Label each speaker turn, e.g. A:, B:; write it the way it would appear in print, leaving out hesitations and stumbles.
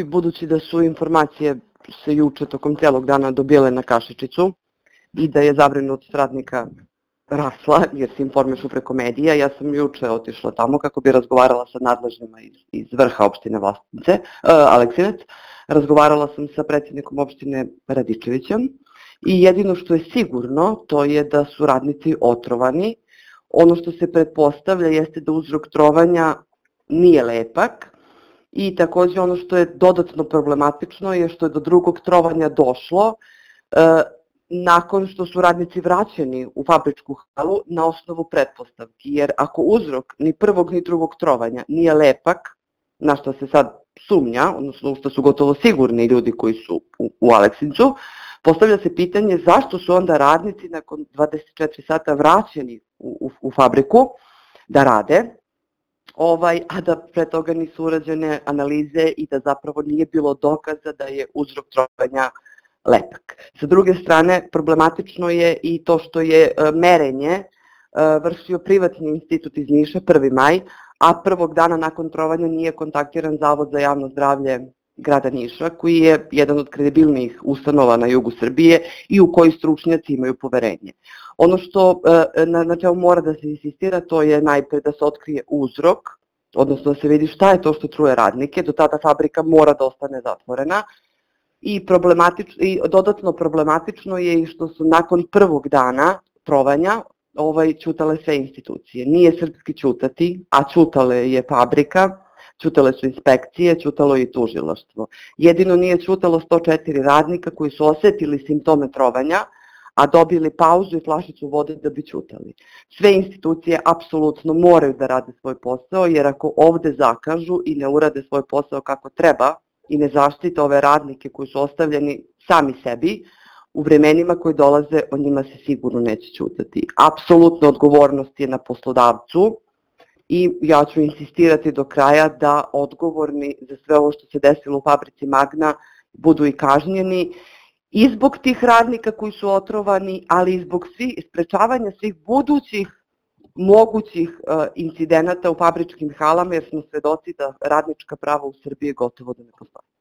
A: budući da su informacije se juče tokom celog dana dobile na kašičicu i da je zabrinutost radnika rasla, jer se informišu preko medija. Ja sam juče otišla tamo kako bi razgovarala sa nadležnima iz vrha opštine Vlasotince, Aleksinac. Razgovarala sam sa predsjednikom opštine Radičevićem i jedino što je sigurno to je da su radnici otrovani. Ono što se pretpostavlja jeste da uzrok trovanja nije lepak i takođe ono što je dodatno problematično je što je do drugog trovanja došlo nakon što su radnici vraćeni u fabričku halu na osnovu pretpostavki, jer ako uzrok ni prvog ni drugog trovanja nije lepak, na što se sad sumnja, odnosno što su gotovo sigurni ljudi koji su u Aleksincu, postavlja se pitanje zašto su onda radnici nakon 24 sata vraćeni u fabriku da rade, a da pre toga nisu urađene analize i da zapravo nije bilo dokaza da je uzrok trovanja lepak. Sa druge strane, problematično je i to što je merenje vršio privatni institut iz Niša, 1. maj, a prvog dana nakon trovanja nije kontaktiran Zavod za javno zdravlje grada Niša, koji je jedan od kredibilnijih ustanova na jugu Srbije i u koji stručnjaci imaju poverenje. Ono što na čemu mora da se insistira, to je najpre da se otkrije uzrok, odnosno da se vidi šta je to što truje radnike, do tada fabrika mora da ostane zatvorena. I dodatno problematično je i što su nakon prvog dana trovanja ćutale sve institucije. Nije srpski ćutati, a ćutale je fabrika, ćutale su inspekcije, ćutalo je i tužilaštvo. Jedino nije ćutalo 104 radnika koji su osetili simptome trovanja, a dobili pauzu i flašicu vode da bi ćutali. Sve institucije apsolutno moraju da rade svoj posao, jer ako ovde zakažu i ne urade svoj posao kako treba i ne zaštite ove radnike koji su ostavljeni sami sebi, u vremenima koji dolaze o njima se sigurno neće ćutati. Apsolutna odgovornost je na poslodavcu i ja ću insistirati do kraja da odgovorni za sve ovo što se desilo u fabrici Magna budu i kažnjeni i zbog tih radnika koji su otrovani, ali i zbog sprečavanja svih budućih mogućih incidenata u fabričkim halama, jer smo svedoci da radnička prava u Srbiji gotovo da ne postoje.